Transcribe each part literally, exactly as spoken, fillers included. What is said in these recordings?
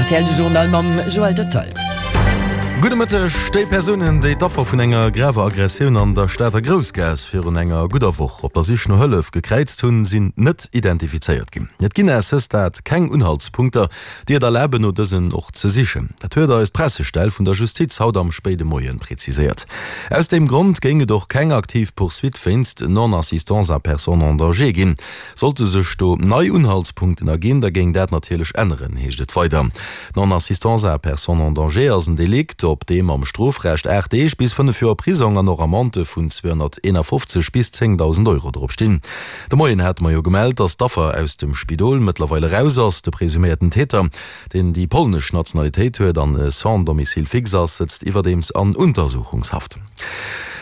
R T L Journal mam Joël Detail. Gudde Mëtteg. Déi Persounen, déi d'Affer vun enger graver Aggressioun an der Stater Groussgaass virun enger gudder Woch op der Sich no Hëllef gekräizt hunn, sinn net identifizéiert ginn. Et ginn à ce stade keng Unhaltspunkter, déi et erlaben, no dësen och ze sichen. Dat huet eis d'Pressestell vun der Justiz haut am spéide Moien präziséiert. Aus deem Grond géing et och keng aktiv Poursuite wéinst Non-assistance à personne en danger ginn. Sollte sech do nei Unhaltspunkten erginn, da géing dat natierlech änneren, heescht et weider. Non-assistance à personne en danger ass en Delikt, op deem am Strofrecht aacht Deeg bis fënnef Joer Prisong an och Amendë vun zweehonnerteenafofzeg bis zéngdausend Euro drop stinn. De Moien hate mer jo gemellt, datt d'Affer aus dem Spidol mëttlerweil eraus ass. De presuméierten Täter, deen déi polnesch Nationalitéit huet an sans domicile fixe ass, sëtzt iwwerdeems an Untersuchungshaft.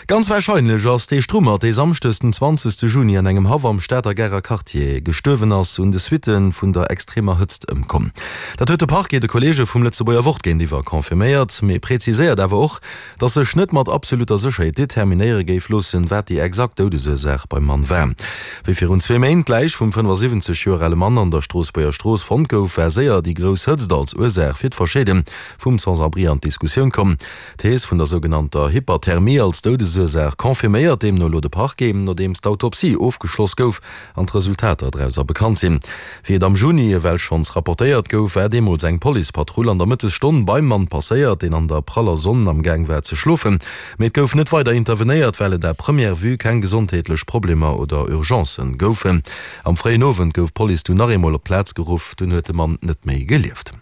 Ganz warscheinlech ass dee Strummert, dee samschdes den zwanzegste Juni an engem Haff am Stater Garer Quartier gestuerwen ass, un de Suitte vun der extremer Hëtzt ëmkomm. Dat huet de Parquet de Kolleege vum Lëtzebuerger Wort géintiwwer confirméiert, mee preziséiert awer och, datt sech net mat absolutter Sécherheet determinéiere géif loossen, wat déi exakt Doudesursaach beim Mann war. Wéi virun zwee Méint d'Läich vum fënnefasiwwenzeg Joer ale Mann an der Stroossbuerger Strooss fonnt gouf, war séier déi grouss Hëtzt als Ursaach fir d'Verscheede vum Sans-abri an d'Diskussioun komm. D'Thees vun der sougenannter Hyperthermie als Doudesursaach confirméiert deemno elo de Parquet, nodeems d'Autopsie ofgeschloss gouf an d'Resultater drauser bekannt sinn. Wéi et am Juni ewell schonns rapportéiert gouf, war deemools eng Policepatrull an der Mëttesstonn beim Mann passéiert, deen an der praller Sonn am Gaang war ze schlofen. Mee et gouf net weider intervenéiert, well et à première vue keng gesondheetlech Problemer oder Urgencen goufen. Am fréien Owend gouf d'Police dunn nach eemol op d'Plaz geruff, dunn huet de Mann net méi gelieft.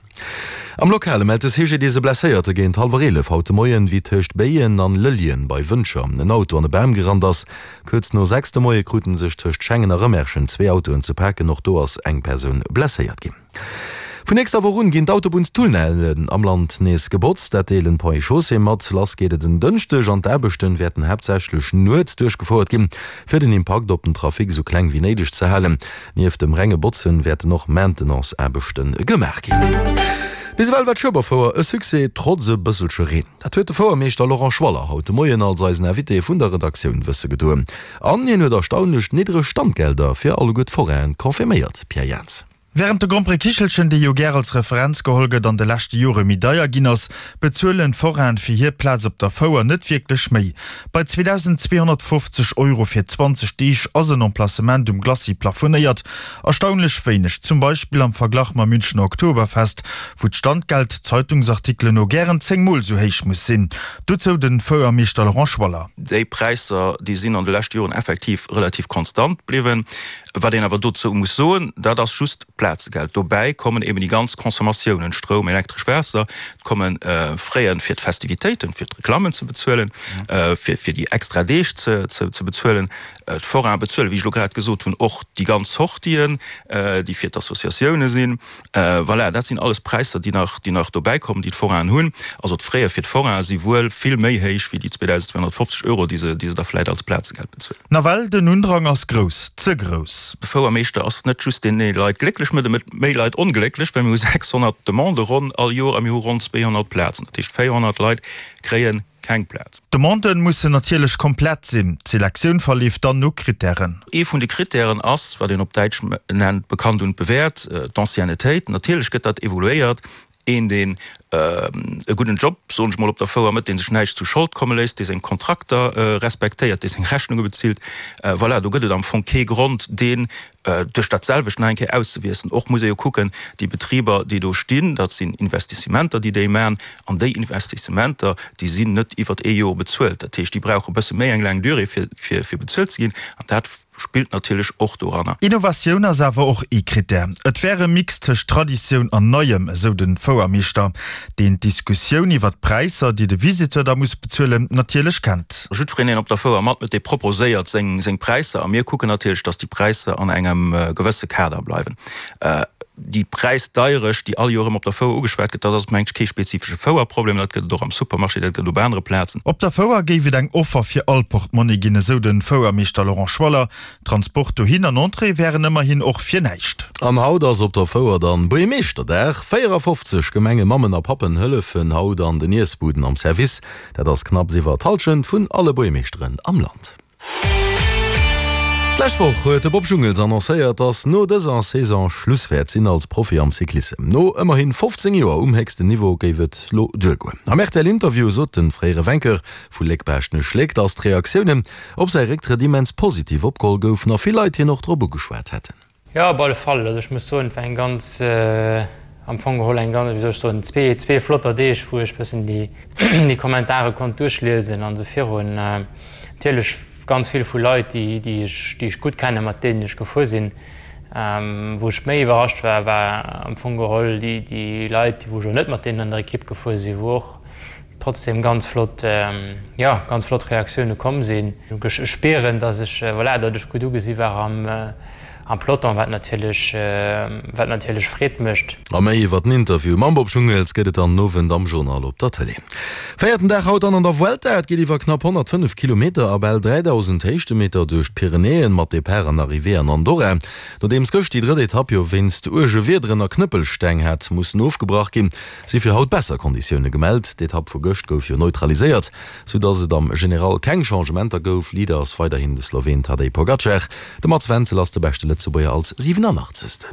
Am Lokale mellt de C G D S e Blesséierte géint hallwer eelef haut de Moien, wéi tëscht Béien an Lëlljen bei Wëntger en Auto an e Bam gerannt ass. Kuerz no sechs de Moie krute sech tëscht Schengen a Rëmerschen zwee Autoen ze paken, och do ass eng Persoun blesséiert ginn. Vun nächster Woch un ginn d'Autobunnstunnellen am Land nees gebotzt. Dat deelen d'Ponts et Chaussées mat. Lass geet et en Dënschdeg an d'Aarbechten wäerten haaptsächlech nuets duerchgefouert ginn, fir den Impakt op den Trafic esou kleng wéi néideg ze halen. Nieft dem renge Botzen wäerten och Maintenance-Aarbechte gemaach ginn. Bis ewell war d'Schueberfouer e Succès, trotz e bësselche Reen. Dat huet de Fouermeeschter Laurent Schwaller haut de Moien als eisen Invité vun der Redaktioun wësse gedoen. An hien huet erstaunlech niddreg Standgelder fir alleguer d'Forainen confirméiert. Pierre Jans. Wärend de Grand Prix Kichelchen, dee jo gär als Referenz geholl gëtt, an de leschte Jore méi deier ginn ass, bezuelen d'Forainen fir hir Plaz op der Fouer net wierklech méi. Bei zweedausendzweehonnertfofzeg Euro fir zwanzeg Deeg ass en Emplacement um Glacis plafonéiert. Erstaunlech wéineg, zum Beispill am Verglach mam Münchener Oktoberfest, wou d'Standgeld Zeitungsartikelen no gären zéng Mol sou héich muss sinn. Dozou de Fouermeeschter Laurent Schwaller. Déi Präisser, déi sinn an de leschte Joren effektiv relativ konstant bliwwen. Wat een awer dozou muss soen, dat ass just d'Plazegeld. Dobäi kommen eben déi ganz Consommatiounen, Stroum, Elektresch, Waasser, et komme Fraien fir d'Festivitéiten, fir d'Reklammen ze bezuelen, fir fir déi extra Deeg ze ze bezuelen. D'Forainen bezuelen, wéi ech elo grad gesot hunn, och déi ganz Sortien, déi fir d'Associatioune sinn. Voilà, dat sinn alles Präisser, déi nach déi nach dobäi kommen, déi d'Forainen hunn. Also d'Fraie fir d'Forainen si wuel vill méi héich wéi déi zweedausendzweehonnertfofzeg Euro, déi se déi se da vläicht als Plazegeld bezuelen. Nawell, den Undrang ass grouss, ze grouss. De Fouermeeschter ass net just deen, dee Leit glécklech mécht, e mécht méi Leit onglécklech, well mir hu sechshonnert Demandë ronn all Joer a mir hu ronn zweehonnert Plazen. Dat heescht, véierhonnert Leit kréie keng Plaz. D'Demandë mussen natierlech komplett sinn. D'Selektioun verleeft dann no Krittären. Ee vun de Krittären ass, wat een op Däitsch nennt bekannt und bewährt, d'Anciennetéit. Natierlech gëtt dat evoluéiert. Een, deen e gudden Job, soen ech mol, op der Fouer mécht, dee sech näischt zu Schold komme léisst, dee seng Kontrakter respektéiert, dee seng Rechnunge bezilt, voilà, do gëtt et am Fong kee Grond, deen duerch dat selwecht nach eng Kéier auszewiesselen. Och muss ee jo kucken, déi Betriber, déi do stinn, dat sinn Investissementer, déi déi maachen, an déi Investissementer, déi sinn net iwwert ee Joer bezuelt. Dat heescht, déi brauche e bësse méi eng laang Durée, fir, fir bezuelt ze ginn, an dat spillt natierlech och doranner. Innovatioun ass awer och ee Krittär. Et wär e Mix tëscht Traditioun an Neiem, esou de Fouermeeschter, deen d'Diskussioun iwwer d'Präisser, déi de Visiteur da muss bezuelen, natierlech kennt. Jiddwereen, deen op der Fouer matmécht, dee proposéiert seng Präisser a mir kucken natierlech, datt déi Präisser an engem gewësse Kader bleiwen. Déi Präisdeierecht, déi all Joer erëm op der Fouer ugeschwat gëtt, dat ass, mengen ech, kee spezifesche Fouerproblem. Dat gëtt et och am Supermarché, dat gëtt et op anere Plazen. Op der Fouer géif et eng Offer fir all Portmonni ginn, esou de Fouermeeschter Laurent Schwaller. Transport dohin an Entrée wären ëmmerhin och fir näischt. An haut ass op der Fouer dann Buergermeeschterdag. véierafofzeg Gemengemammen a Pappen hëllefen haut an den Iessbuden am Service. Dat ass knapps iwwer d'Hallschent vun alle Buergermeeschteren am Land. D'lescht Woch huet de Bob Jungels annoncéiert, dass no dëser Saison Schluss wäert sinn als Profi am Cyclissem. No ëmmerhin fofzéng Joer um héchsten Niveau géif et lo duergoen. Am R T L-Interview sot de fréiere Vainqueur vu Léck-Baaschtnech-Léck, dass d'Reaktiounen op säi Récktrëtt immens positiv opgeholl goufen a vill Leit hien och drop ugeschwat hätten. Jo, op alle Fall. Also ech muss soen, et war eng ganz, am Fong geholl eng ganz, wéi soll ech soen, zwee, zwee flotter Deeg, wou ech bëssen déi, déi Kommentare konnt duerchliesen an esou virun. Natierlech ganz vill vu Leit, déi, déi ech, déi ech gutt kennen, mat deenen ech gefuer sinn. Wou ech méi iwwerrascht war, war am Fong geholl déi, déi Leit, wou ech elo net mat deenen an der Ekipp gefuer sinn, wou och trotzdem ganz flott, jo, ganz flott Reaktioune komm sinn. Ech spieren, dass ech, voilà, datt ech gutt ugesi war am, am Peloton, wat natierlech, wat natierlech Freed mécht. A méi iwwer den Interview mam Bob Jungels gëtt et dann den Owend am Journal op der Tëlee. Véierten Dag haut dann an der Vuelta. Et geet iwwer knapp honnertfënnef Kilometer a bal dräidausend Héichtemeter duerch d'Pyrenäen mat Depart an Arrivée an Andorra. Nodeems gëscht déi drëtt Etapp jo wéinst uerge Wiederen a Knëppelsteng hat mussen ofgebrach ginn, si fir haut besser Konditioune gemellt. D'Etapp vu gëscht gouf jo neutraliséiert, sou dass et am General keng Changementer gouf. Leader ass weiderhin de Sloween Tadej Pogacar. De Mats Wenzel ass de beschte Lëtzebuerger als siwenanachtzegsten.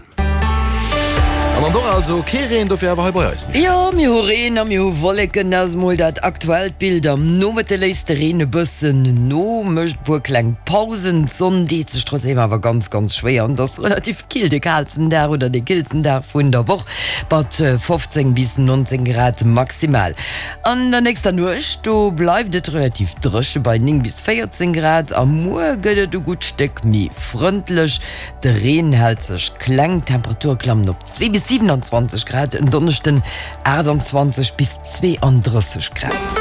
An Andorra also kee Reen, dofir awer hei bei eis, Michèle. Jo, mir hu Reen a mir hu Wolleken. Dat ass mol dat aktuellt Bild. Am Nomëtte léisst de Reen e bëssen no, mécht e puer kleng Pausen. D'Sonn deet sech trotzdeem awer ganz, ganz schwéier an et ass relativ kill, de kaalsten Dag oder de killsten Dag vun der Woch mat fofzéng bis nonzéng Grad maximal. An der nächster Nuecht, do bleift et relativ dréche bei néng bis véierzéng Grad a muer gëtt et e gutt Stéck méi frëndlech. De Reen hält sech kleng, d'Temperature klammen op zwee bis siewenundzwanzeg Grad, en Donneschden aachtanzwanzeg bis zweeandrësseg Grad.